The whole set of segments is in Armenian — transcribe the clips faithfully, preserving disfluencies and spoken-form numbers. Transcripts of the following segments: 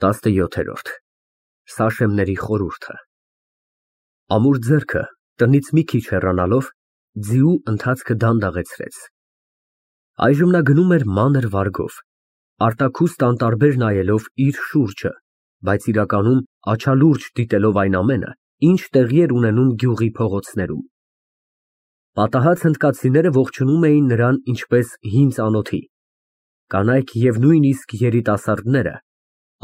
տասնյոթ Սաշեմների խորհուրդը Ամուր ձեռքը տնից մի քիչ հեռանալով, ձիու ընթացքը դանդաղեցրեց։ Այժմ նա գնում էր մանր վարգով, արտաքուստ անտարբեր նայելով իր շուրջը, բայց իրականում աչալուրջ դիտելով այն ամենը, ինչ տեղի էր ունենում գյուղի փողոցներում։ Պատահած հնդկացիները ողջունում էին նրան ինչպես հին ծանոթի, կանայք և նույնիսկ երիտասարդները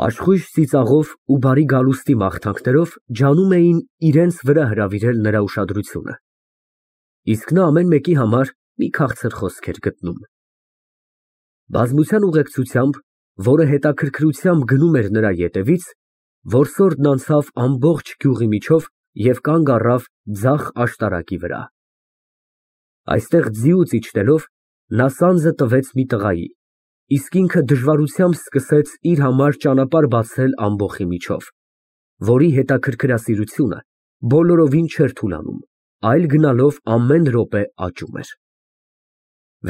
աշխույժ ծիծաղով ու բարի գալուստի մաղթանքներով ջանում էին իրենց վրա հրավիրել նրա ուշադրությունը, իսկ նա ամեն մեկի համար մի քաղցր խոսք էր գտնում։ Բազմության ուղեկցությամբ, որը հետաքրքրությամբ գնում էր նրա ետևից, որսորդն անցավ ամբողջ գյուղի միջով և կանգ առավ ձախ աշտարակի վրա։ Այստեղ ձիուց իջնելով, նա սանձը տվեց մի տղայի, իսկ ինքը դժվարությամբ սկսեց իր համար ճանապարհ բացել ամբոխի միջով, որի հետաքրքրասիրությունը բոլորովին չէր թուլանում, այլ գնալով ամեն րոպե աճում էր։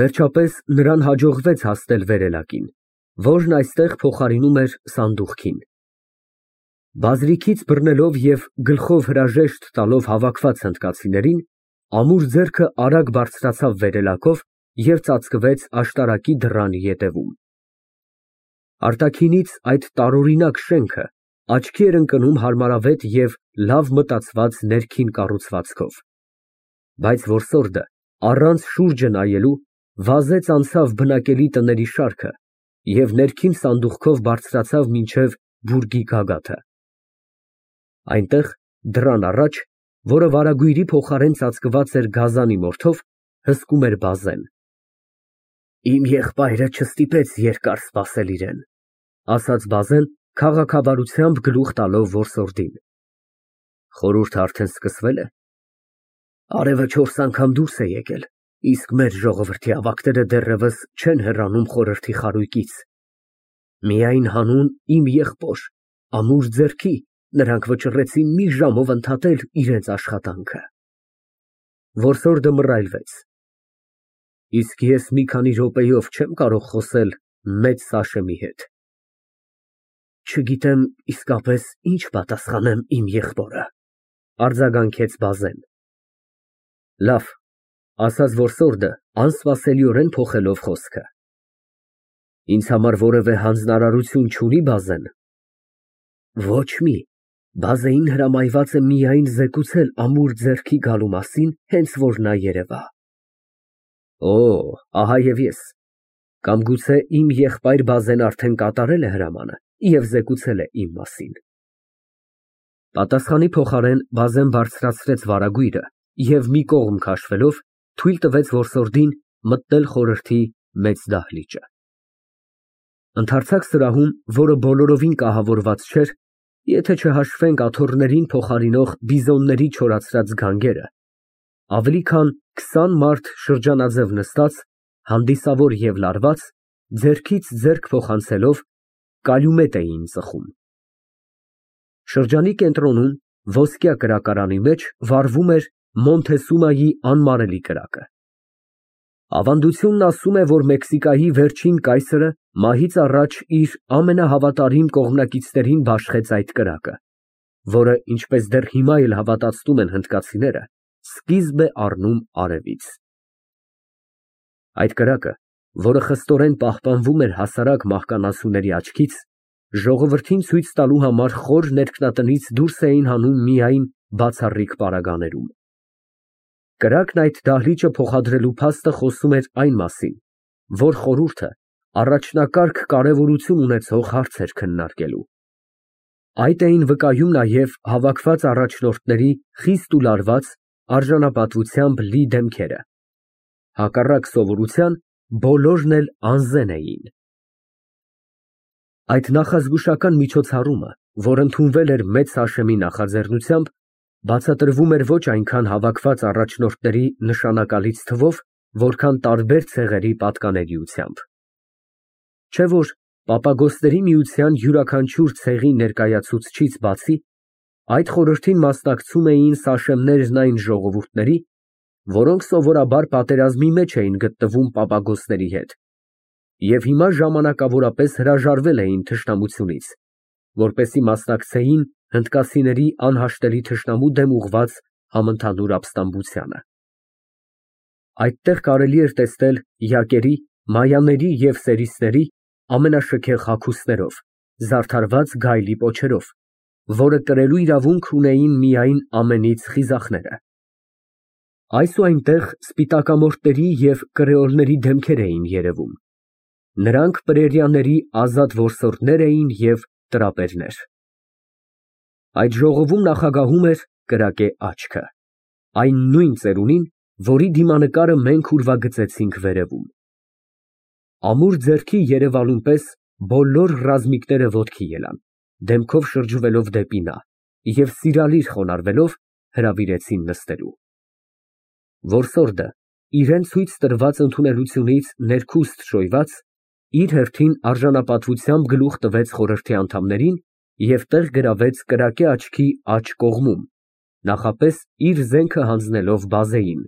Վերջապես նրան հաջողվեց հասնել վերելակին, որն այստեղ փոխարինում էր սանդուղքին։ Բազրիքից բռնելով և գլխով հրաժեշտ տալով հավաքված հնդկացիներին, ամուր ձեռքը արագ բարձրացավ վերելակով և ծածկվեց աշտարակի դռան ետևում։ Արտաքինից այդ տարօրինակ շենքը աչքի էր ընկնում հարմարավետ և լավ մտածված ներքին կառուցվածքով, բայց որսորդը առանց շուրջը նայելու վազեց անցավ բնակելի տների շարքը և ներքին սանդուղքով բարձրացավ մինչև բուրգի գագաթը։ Այնտեղ, դռան առաջ, որը վարագույրի փոխարեն ծածկված էր գազանի մորթով, հսկում էր բազեն։ Իմ եղբայրը չստիպեց երկար սպասել իրեն, ասաց բազեն, քաղաքավարությամբ գլուխ տալով որսորդին։ Խորհուրդը արդեն սկսվե՞լ է։ Արևը չորս անգամ դուրս է եկել, իսկ մեր ժողովրդի ավագները դեռևս չեն հեռանում խորհրդի խարույկից։ Միայն հանուն իմ եղբոր ամուր ձեռքի նրանք վճռեցին մի ժամով ընդհատել իրենց աշխատանքը։ Որսորդը մռայլվեց։ Իսկ ես մի քանի րոպեով չեմ կարող խոսել մեծ Սաշեմի հետ։ Չգիտեմ իսկապես ինչ պատասխանեմ իմ եղբորը, արձագանքեց բազեն։ Լավ, ասաց որսորդը, անսպասելիորեն փոխելով խոսքը։ Ինձ համար որևէ հանձնարարություն չունի բազեն։ Ոչ մի, բազեին հրամայված է միայն զեկուցել ամուր ձեռքի գալու մասին, հենց որ նա երևա։ Օ, ահա և ես։ Կամ գուցե իմ եղբայր բազեն արդեն կատարել է հրամանը և զեկուցել է իմ մասին։ Պատասխանի փոխարեն բազեն բարձրացրեց վարագույրը և մի կողմ քաշվելով, թույլ տվեց որսորդին մտնել խորհրդի մեծ դահլիճը։ Ընդարձակ սրահում, որը բոլորովին կահավորված չէր, եթե չհաշվենք աթոռներին փոխարինող բիզոնների չորացրած գանգերը, ավելի քան քսան մարդ շրջանաձև նստած, հանդիսավոր և լարված, ձեռքից ձեռք փոխանցելով, կալյումետ էին ծխում։ Շրջանի կենտրոնում, ոսկյա կրակարանի մեջ վառվում էր Մոնթեսումայի անմարելի կրակը։ Ավանդությունն ասում է, որ Մեքսիկայի վերջին կայսրը մահից առաջ իր ամենահավատարիմ կողմնակիցներին բաշխեց այդ կրակը, որը, ինչպես դեռ հիմա էլ հավատացնում են հնդկացիները, սկիզբ է առնում արևից։ Այդ կրակը, որը խստորեն պահպանվում էր հասարակ մահկանացուների աչքից, ժողովրդին ցույց տալու համար խոր ներքնատնից դուրս էին հանում միայն բացառիկ պարագաներում։ Կրակն այդ դահլիճը փոխադրելու փաստը խոսում էր այն մասին, որ խորհուրդը առաջնակարգ կարևորություն ունեցող հարց էր քննարկելու։ Այդ էին վկայում նաև հավաքված առաջնորդների խիստ ու լարված, արժանապատվությամբ լի դեմքերը։ Հակառակ սովորության, բոլորն էլ անզեն էին։ Այդ նախազգուշական միջոցառումը, որ ընդունվել էր մեծ Սաշեմի նախաձեռնությամբ, բացատրվում էր ոչ այնքան հավաքված առաջնորդների նշանակալից թվով, որքան տարբեր ցեղերի պատկանելիությամբ։ Չէ՞ որ Պապագոսների միության յուրաքանչյուր ցեղի ներկայացուցչից բացի, այդ խորհրդին մասնակցում էին Սաշեմներն այն ժողովուրդների, որոնք սովորաբար պատերազմի մեջ էին գտնվում Պապագոսների հետ և հիմա ժամանակավորապես հրաժարվել էին թշնամությունից, որպեսզի մասնակցեին հնդկացիների անհաշտելի թշնամու դեմ ուղղված համընդհանուր ապստամբությանը։ Այդտեղ կարելի էր տեսնել յակերի, մայաների և սերիցների ամենաշքեղ հագուստներով, զարդարված գայլի պոչերով, որը կրելու իրավունք ունեին միայն ամենից խիզախները։ Այս ու այնտեղ սպիտակամորթների և կրեոլների դեմքեր էին երևում։ Նրանք պրերիաների ազատ որսորդներ էին և տրապերներ։ Այդ ժողովում նախագահում էր կրակե աչքը, այն նույն ծերունին, որի դիմանկարը մենք ուրվագծեցինք վերևում։ Ամուր ձեռքի երևալուն պես բոլոր ռազմիկները ոտքի ելան, դեմքով շրջվելով դեպի նա և սիրալիր խոնարհվելով հրավիրեցին նստելու։ Որսորդը, իրան ցույց տրված ընդունելությունից ներքուստ շոյված, իր հերթին արժանապատվությամբ գլուխ տվեց խորհրդի անդամներին և տեղ գրավեց կրակե աչքի աջ կողմում, նախապես իր զենքը հանձնելով բազեին,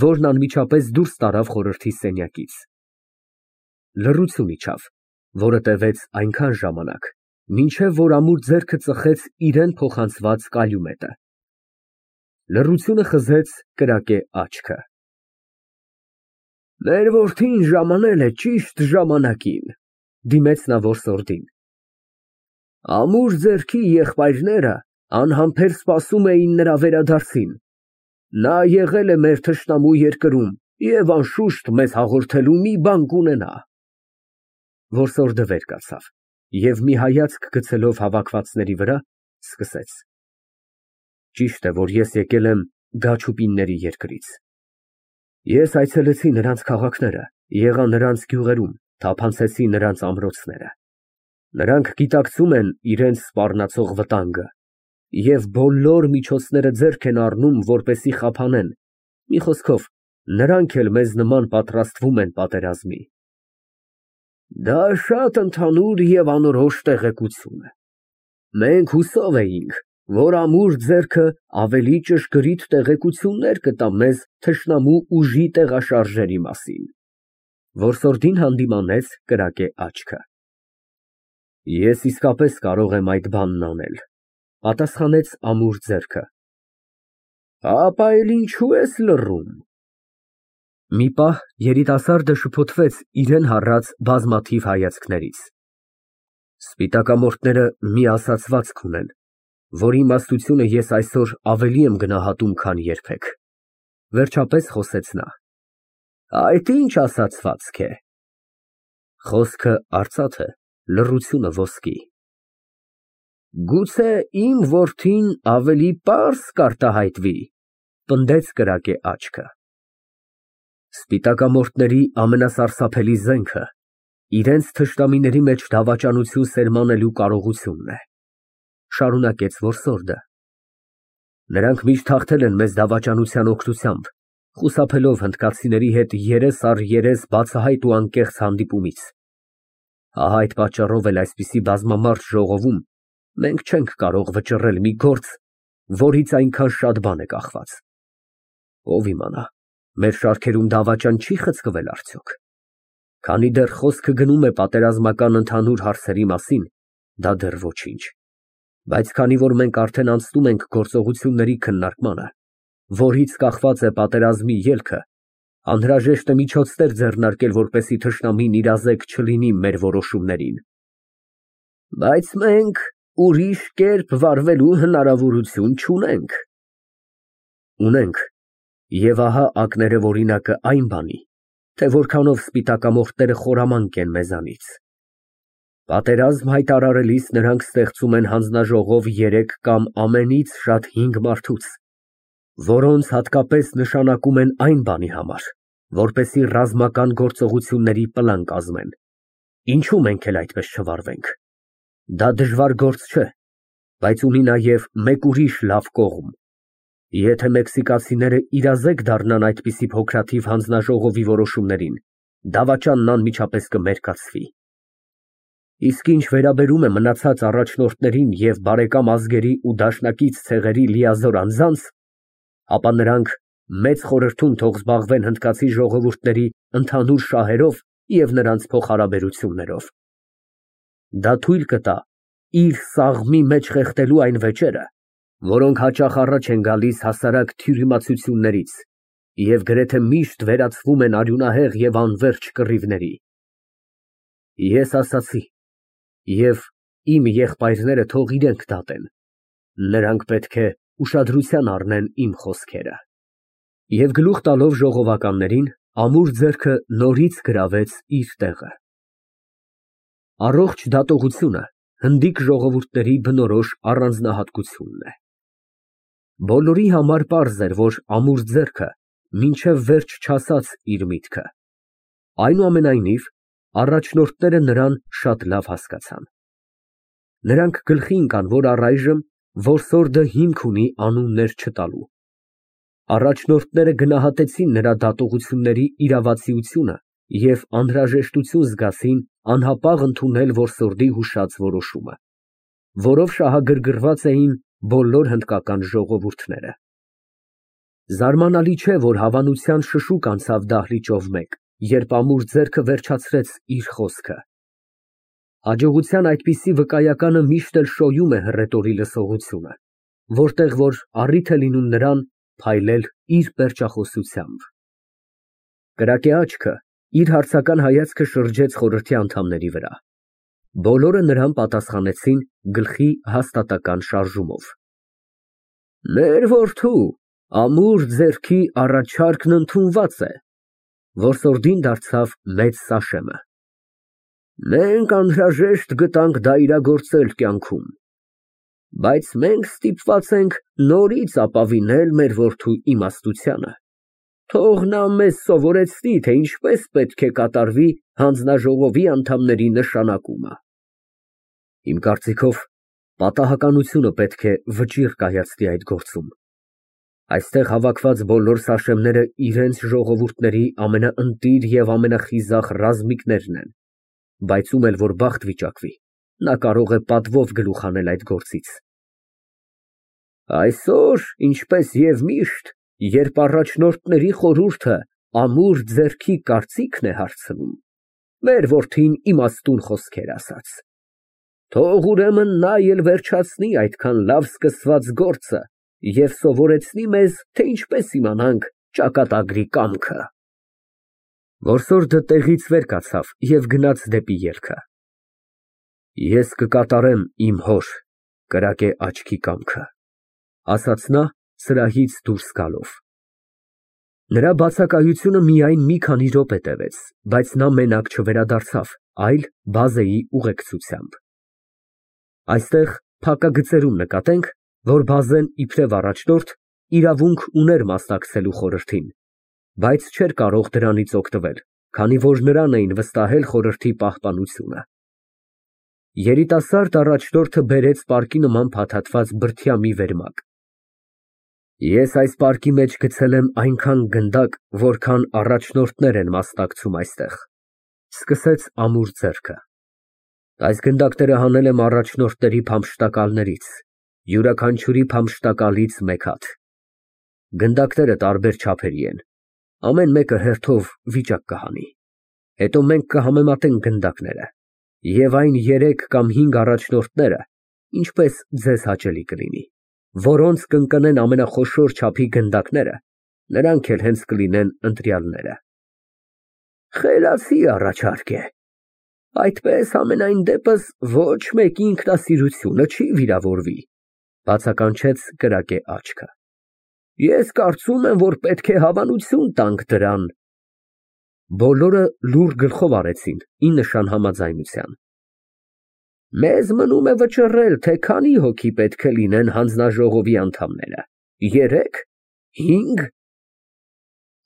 որն անմիջապես դուրս տարավ խորհրդի սենյակից։ Լռություն իջավ, որը տևեց այնքան ժամանակ, մինչև որ ամուր ձեռքը ծխեց իրան փոխանցված կալյումետը։ Լռությունը խզեց կրակե աչքը։ Մեր որդին ժամանել է ճիշտ ժամանակին, դիմեց նա որսորդին։ Ամուր ձեռքի եղբայրները անհամբեր սպասում էին նրա վերադարձին։ Նա եղել է մեր թշնամու երկրում և անշուշտ մեզ հաղորդելու մի բան կունենա։ Որսորդը վեր կացավ և մի հայացք գցելով հավաքվածների վրա, սկսեց. Ճիշտ է, որ ես եկել եմ Գաչուպինների երկրից։ Ես այցելեցի նրանց քաղաքները, եղա նրանց գյուղերում, թափանցեցի նրանց ամրոցները։ Նրանք գիտակցում են իրենց սպառնացող վտանգը և բոլոր միջոցները ձեռք են առնում, որպեսզի խափանեն, մի խոսքով, նրանք էլ մեզ նման պատրաստվում են պատերազմի։ Դա շատ ընդհանուր և անորոշ տեղեկություն է։ Մենք հուսով էինք, որ ամուր ձեռքը ավելի ճշգրիտ տեղեկություններ կտա մեզ թշնամու ուժի տեղաշարժերի մասին։ Որսորդին հանդիմանեց կրակե աչքը։ Ես իսկապես կարող եմ այդ բանն անել, պատասխանեց ամուր ձեռքը։ Ապա էլ ինչու ես լռում։ Մի պահ երիտասարդը շփոթվեց իրան հառած բազմաթիվ հայացքներից։ Սպիտակամորթները մի ասացվածք ունեն, որի իմաստությունը ես այսօր ավելի եմ գնահատում, քան երբեք, վերջապես խոսեց նա։ Այդ ինչ ասացվածք է։ Խոսքը արծաթ է, լռությունը ոսկի։ Գուցե իմ որդին ավելի պարզ կարտահայտվի, պնդեց կրակե աչքը։ Սպիտակամորթների ամենասարսափելի զենքը իրենց թշնամիների մեջ դավաճանություն սերմանելու կարողությունն է, շարունակեց որսորդը։ Նրանք միշտ հաղթել են մեզ դավաճանության օգնությամբ, խուսափելով հնդկացիների հետ երես առ երես բացահայտ ու անկեղծ հանդիպումից։ Ահա այդ պատճառով էլ այսպիսի բազմամարդ ժողովում մենք չենք կարող վճռել մի գործ, որից այնքան շատ բան է կախված։ Ով իմանա, մեր շարքերում դավաճան չի խցկվել արդյոք։ Քանի դեռ խոսքը գնում է պատերազմական ընդհանուր հարցերի մասին, դա դեռ ոչինչ։ Բայց քանի որ մենք արդեն անցնում ենք գործողությունների քննարկմանը, որից կախված է պատերազմի ելքը, անհրաժեշտ է միջոցներ ձեռնարկել, որպեսզի թշնամին իրազեկ չլինի մեր որոշումներին։ Բայց մենք ուրիշ կերպ վարվելու հնարավորություն չունենք։ Ունենք, և ահա ակներև օրինակը այն բանի, թե որքանով սպիտակամորթները խորամանկ են մեզանից։ Պատերազմ հայտարարելիս նրանք ստեղծում են հանձնաժողով երեք կամ ամենից շատ հինգ մարդուց, որոնց հատկապես նշանակում են այն բանի համար, որպեսզի ռազմական գործողությունների պլան կազմեն։ Ինչու մենք էլ այդպես չվարվենք։ Դա դժվար գործ չէ, բայց ունի նաև մեկ ուրիշ լավ կողմ։ Եթե մեքսիկացիները իրազեկ դառնան այդպիսի փոքրաթիվ հանձնաժողովի որոշումներին, դավաճանն անմիջապես կմերկացվի։ Իսկ ինչ վերաբերում է մնացած առաջնորդներին և բարեկամ ազգերի ու դաշնակից ցեղերի լիազոր անձանց, ապա նրանք մեծ խորհրդում թող զբաղվեն հնդկացի ժողովուրդների ընդհանուր շահերով և նրանց փոխհարաբերություններով։ Դա թույլ կտա իր սաղմի մեջ խեղդելու այն վեճերը, որոնք հաճախ առաջ են գալիս հասարակ թյուրիմացություններից և գրեթե միշտ վերածվում են արյունահեղ և անվերջ կռիվների։ Ես ասացի, և իմ եղբայրները թող իրենք դատեն, նրանք պետք է ուշադրության առնեն իմ խոսքերը։ Եվ գլուխ տալով ժողովականներին, ամուր ձեռքը նորից գրավեց իր տեղը։ Առողջ դատողությունը հնդիկ ժողովուրդների բնորոշ առանձնահատկությունն է։ Բոլորի համար պարզ էր, որ ամուր ձեռքը մինչև վերջ չասաց իր միտքը։ Այնուամենայնիվ, առաջնորդները նրան շատ լավ հասկացան։ Նրանք գլխի ընկան, որ առայժմ որսորդը հիմք ունի անուններ չտալու։ Առաջնորդները գնահատեցին նրա դատողությունների իրավացիությունը և անհրաժեշտություն զգացին անհապաղ ընդունել որսորդի հուշած որոշումը, որով շահագրգռված էին բոլոր հնդկական ժողովուրդները։ Զարմանալի չէ, որ հավանության շշուկ անցավ դահլիճով մեկ, երբ ամուր ձեռքը վերջացրեց իր խոսքը։ Հաջողության այդպիսի վկայականը միշտ էլ շոյում է հռետորի լսողությունը, որտեղ որ առիթ է լինում նրան փայլել իր պերճախոսությամբ։ Կրակե աչքը իր հարցական հայացքը շրջեց խորհրդի անդամների վրա։ Բոլորը նրան պատասխանեցին գլխի հաստատակամ շարժումով։ Մեր որդու ամուր ձեռքի առաջարկն ընդունված է։ Որսորդին դարձավ մեծ Սաշեմը։ Մենք անհրաժեշտ գտանք դա իրագործել կյանքում, բայց մենք ստիպված ենք նորից ապավինել մեր որդու իմաստությանը։ Թող նա մեզ սովորեցնի, թե ինչպես պետք է կատարվի հանձնաժողովի անդամների նշանակումը։ Իմ կարծիքով, պատահականությունը պետք է վճիռ կայացնի այդ գործում։ Այստեղ հավաքված բոլոր Սաշեմները իրենց ժողովուրդների ամենաընտիր և ամենախիզախ ռազմիկներն են, բայց ում էլ որ բախտ վիճակվի, նա կարող է պատվով գլուխ հանել այդ գործից։ Այսօր, ինչպես և միշտ, երբ առաջնորդների խորհուրդը ամուր ձեռքի կարծիքն է հարցնում, մեր որդին իմաստուն խոսքեր ասաց։ Թող ուրեմն նա էլ վերջացնի այդքան լավ սկսված գործը և սովորեցնի մեզ, թե ինչպես իմանանք ճակատագրի կամքը։ Որսորդը տեղից վեր կացավ և գնաց դեպի ելքը։ Ես կկատարեմ իմ հոր կրակե աչքի կամքը, ասաց նա սրահից դուրս գալով։ Նրա բացակայությունը միայն մի քանի րոպե տևեց, բայց նա մենակ չվերադարձավ, այլ բազեի ուղեկցությամբ։ Այստեղ փակագծերում նկատենք, որ բազեն իբրև առաջնորդ իրավունք ուներ մասնակցելու խորհրդին, բայց չէր կարող դրանից օգտվել, քանի որ նրան էին վստահել խորհրդի պահպանությունը։ Երիտասարդ առաջնորդը բերեց պարկի նման փաթաթված բրդյա մի վերմակ։ Ես այս պարկի մեջ գցել եմ այնքան գնդակ, որքան առաջնորդներ են մասնակցում այստեղ, սկսեց ամուր ձեռքը։ Այս գնդակները հանել եմ առաջնորդների փամփշտակալներից, յուրաքանչյուրի փամփշտակալից մեկ հատ։ Գնդակները տարբեր չափերի են, ամեն մեկը հերթով վիճակ կհանի։ Հետո մենք կհամեմատենք գնդակները և այն երեք կամ հինգ առաջնորդները, ինչպես ձեզ հաճելի կլինի, որոնց կընկնեն ամենախոշոր չափի գնդակները, նրանք էլ հենց կլինեն ընտրյալները։ Խելացի առաջարկ է։ Այդպես համենայն դեպս ոչ մեկի ինքնասիրությունը չի վիրավորվի, բացականչեց կրակե աչքը։ Ես կարծում եմ, որ պետք է հավանություն տանք դրան։ Բոլորը լուռ գլխով արեցին, ի նշան համաձայնության։ Մեզ մնում է վճռել, թե քանի հոգի պետք է լինեն հանձնաժողովի անդամները, երեք, հինգ։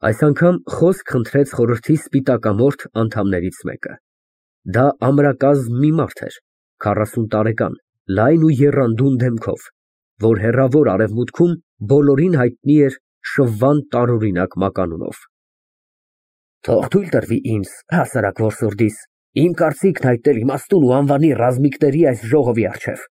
Այս անգամ խոսք խնդրեց խորհրդի սպիտակամորթ անդամներից մեկը։ Դա ամրակազմ մի մարդ էր, քառասուն տարեկան, լայն ու եռանդուն դեմքով, որ հեռավոր արևմուտքում բոլորին հայտնի էր շվվան տարօրինակ մականունով։ Թող թույլ տրվի ինձ, հասարակ որսորդիս, իմ կարծիքն հայտնել իմաստուն ու անվանի ռազմիկների այս ժողովի առջև։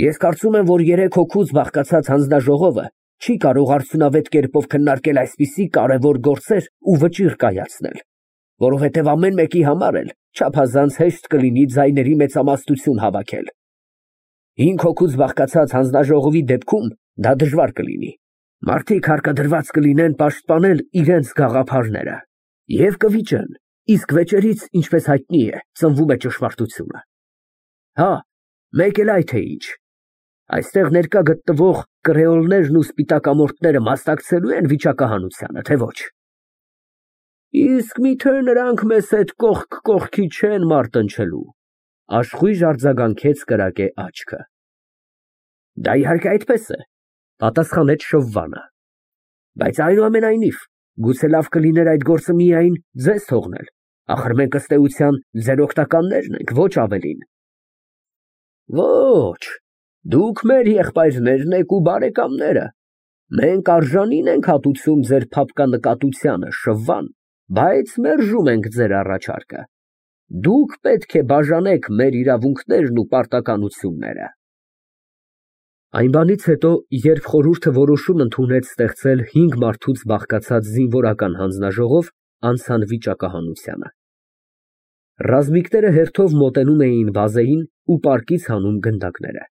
Ես կարծում եմ, որ երեք հոգուց բաղկացած հանձնաժողովը չի կարող արդյունավետ կերպով քննարկել այսպիսի կարևոր գործեր ու վճիռ կայացնել, որովհետև ամեն մեկի համար էլ չափազանց հեշտ կլինի ձայների մեծամասնություն հավաքել։ Հինգ հոգուց բաղկացած հանձնաժողովի դեպքում դա դժվար կլինի։ Մարդիկ հարկադրված կլինեն պաշտպանել իրենց գաղափարները և կվիճեն, իսկ վեճերից, ինչպես հայտնի է, ծնվում է ճշմարտությունը։ Հա, մեկ էլ այդ է ինչ։ Այստեղ ներկա գտնվող կրեոլներն ու սպիտակամորթները մասնակցելու են վիճակահանությանը, թե ոչ։ Իսկ միթե նրանք մեզ հետ կողք կողքի չեն մարտնչելու, աշխույժ արձագանքեց կրակե աչքը։ Դա իհարկե այդպես է, պատասխանեց շվվանը։ Բայց այնուամենայնիվ, գուցե լավ կլիներ այդ գործը միայն ձեզ թողնել, ախր մենք ըստ էության ձեր օգնականներն ենք, ոչ ավելին։ Ոչ, դուք մեր եղբայրներն եք ու բարեկամները, մենք արժանին ենք հատուցում ձեր փափկանկատությանը, շվվան, բայց մերժում ենք ձեր առաջարկը։ Դուք պետք է բաժանեք մեր իրավունքներն ու պարտականությունները։ Այն բանից հետո, երբ խորհուրդը որոշում ընդունեց ստեղծել հինգ մարդուց բաղկացած զինվորական հանձնաժողով, անցան վիճակահանությանը։ Ռազմիկները հերթով մոտենում էին բազեին ու պարկից հանում գնդակները։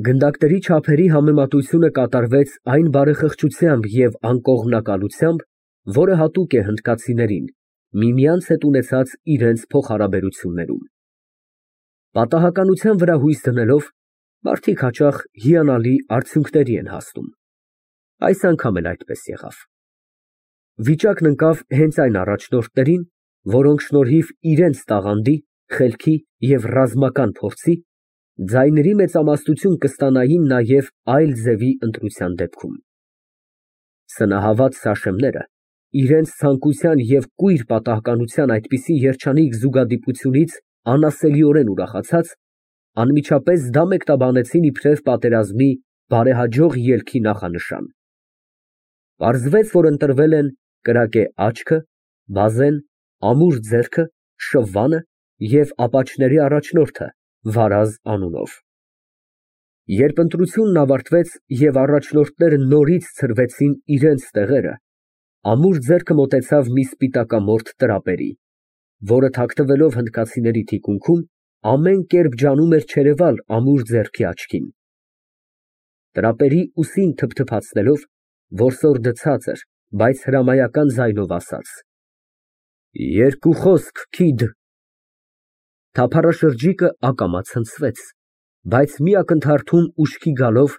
Գնդակների չափերի համեմատությունը կատարվեց այն բարեխղճությամբ և անկողմնակալությամբ, որը հատուկ է հնդկացիներին, միմյանց հետ ունեցած իրենց փոխհարաբերություններում։ Պատահականության վրա հույս դնելով, մարդիկ հաճախ հիանալի արդյունքների են հասնում։ Այս անգամ էլ այդպես եղավ։ Վիճակն ընկավ հենց այն առաջնորդներին, որոնք շնորհիվ իրենց տաղանդի, խելքի և ռազմական փորձի ձայների մեծամասնություն կստանային նաև այլ ձևի ընտրության դեպքում։ Սնահավատ սաշեմները իրենց ցանկության և կույր պատահականության այդպիսի երջանիկ զուգադիպությունից անասելիորեն ուրախացած, անմիջապես դա մեկնաբանեցին իբրև պատերազմի բարեհաջող ելքի նախանշան։ Պարզվեց, որ ընտրվել են կրակե աչքը, բազեն, ամուր ձեռքը, շվվանը և ապաչների առաջնորդը Վարազ անունով։ Երբ ընտրությունն ավարտվեց և առաջնորդները նորից ցրվեցին իրենց տեղերը, ամուր ձեռքը մոտեցավ մի սպիտակամորթ տրապերի, որը թաքնվելով հնդկացիների թիկունքում, ամեն կերպ ջանում էր չերևալ ամուր ձեռքի աչքին։ Տրապերի ուսին թփթփացնելով, որսորդը ցածր, բայց հրամայական ձայնով ասաց. Երկու խոսք, քիդ։ Թափառաշրջիկը ակամա ցնցվեց, բայց մի ակնթարթում ուշքի գալով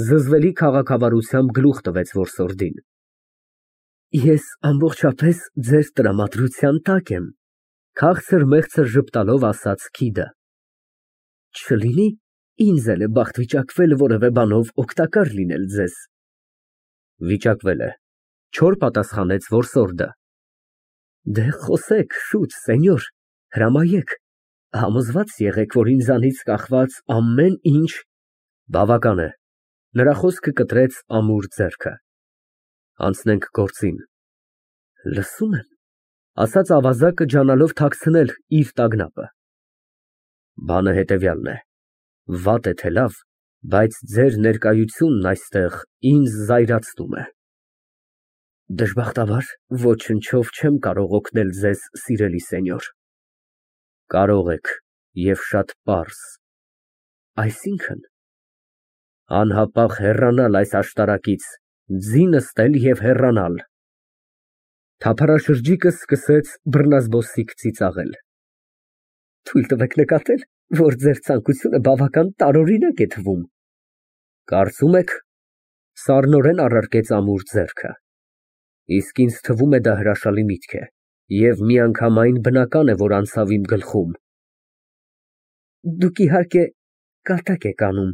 զզվելի քաղաքավարությամբ գլուխ տվեց որսորդին։ Ես ամբողջապես ձեր տրամադրության տակ եմ, քաղցր֊մեղցր ժպտալով ասաց քիդը։ Չլինի ինձ էլ է բախտ վիճակվել որևէ բանով օգտակար լինել ձեզ։ Վիճակվել է, չոր պատասխանեց որսորդը։ Դե խոսեք շուտ, սենյոր, հրամայեք, համոզված եղեք, որ ինձանից կախված ամեն ինչ… Բավական է, նրա խոսքը կտրեց ամուր ձեռքը։ Անցնենք գործին։ Լսում եմ, ասաց ավազակը ջանալով թաքցնել իր տագնապը։ Բանը հետևյալն է, վատ է թե լավ, բայց ձեր ներկայությունն այստեղ ինձ զայրացնում է։ Դժբախտաբար, ոչնչով չեմ կարող օգնել ձեզ, սիրելի սենյոր։ Կարող եք, և շատ պարզ։ Այսինքն… Անհապաղ հեռանալ այս աշտարակից, ձի նստել և հեռանալ։ Թափառաշրջիկը սկսեց բռնազբոսիկ ծիծաղել։ Թույլ տվեք նկատել, որ ձեր ցանկությունը բավական տարօրինակ է թվում։ Կարծում եք… Սառնորեն առարկեց ամուր ձեռքը։ Իսկ ինձ թվում է դա հրաշալի միտք է, և միանգամայն բնական է, որ անցավ իմ գլխում։ Դուք իհարկե կատակ եք անում,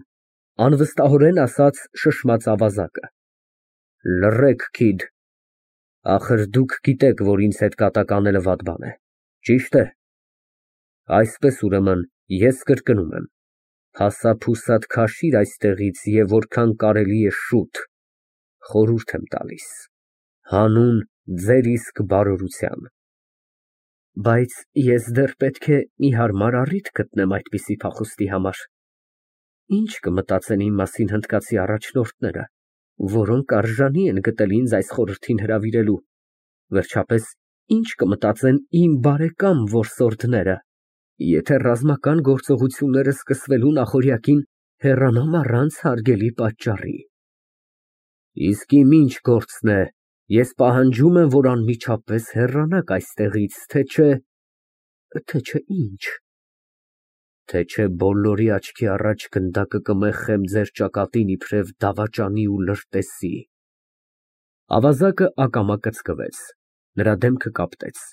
անվստահորեն ասաց շշմած ավազակը։ Լռեք, քիդ, ախր դուք գիտեք, որ ինձ հետ կատակ անելը վատ բան է, ճի՞շտ է։ Այսպես, ուրեմն, ես կրկնում եմ, փասափուսադ քաշիր այստեղից և որքան կարելի է շուտ, խորհուրդ եմ տալիս, հանուն ձեր իսկ բարօրության։ Բայց ես դեռ պետք է մի հարմար առիթ գտնեմ այդպիսի փախուստի համար։ Ինչ կմտածեն իմ մասին հնդկացի առաջնորդները, որոնք արժանի են գտել ինձ այս խորհրդին հրավիրելու, վերջապես, ինչ կմտածեն իմ բարեկամ որսորդները, եթե ռազմական գործողությունները սկսվելու նախօրյակին հեռանամ առանց հարգելի պատճառի։ Իսկ իմ ինչ գործն է, ես պահանջում եմ, որ անմիջապես հեռանաք այստեղից, թե չէ… թե չէ ինչ։ Թե չէ բոլորի աչքի առաջ գնդակը կմեխեմ ձեր ճակատին իբրև դավաճանի ու լրտեսի։ Ավազակը ակամա կծկվեց, նրա դեմքը կապտեց։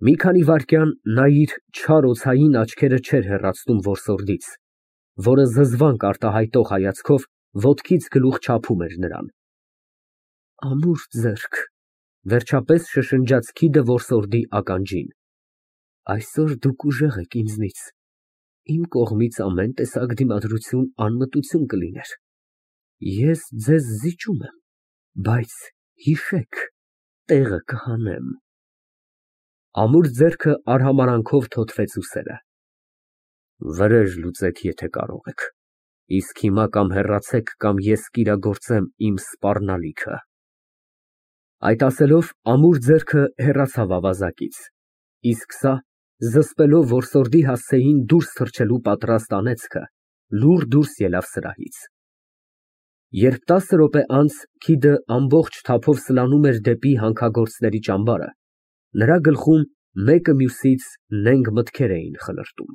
Մի քանի վայրկյան նա իր չար օձային աչքերը չէր հեռացնում որսորդից, որը զզվանք արտահայտող հայացքով ոտքից գլուխ չափում էր նրան։ Ամուր ձեռք, վերջապես շշնջաց քիդը որսորդի ականջին, այսօր դուք ուժեղ եք ինձնից, իմ կողմից ամեն տեսակ դիմադրություն անմտություն կլիներ, ես ձեզ զիջում եմ, բայց հիշեք, տեղը կհանեմ։ Ամուր ձեռքը արհամարհանքով թոթվեց ուսերը։ Վրեժ լուծեք, եթե կարող եք, իսկ հիմա կամ հեռացեք, կամ ես կիրագործեմ իմ սպառնալիքը։ Այդ ասելով ամուր ձեռքը հեռացավ ավազակից, իսկ սա, զսպելով որսորդի հասցեին դուրս թռչելու պատրաստ անեծքը, լուռ դուրս ելավ սրահից։ Երբ տասը րոպե անց քիդը ամբողջ թափով սլանում էր դեպի հանքագործների ճամբարը, նրա գլխում մեկը մյուսից նենգ մտքեր էին խլրտում։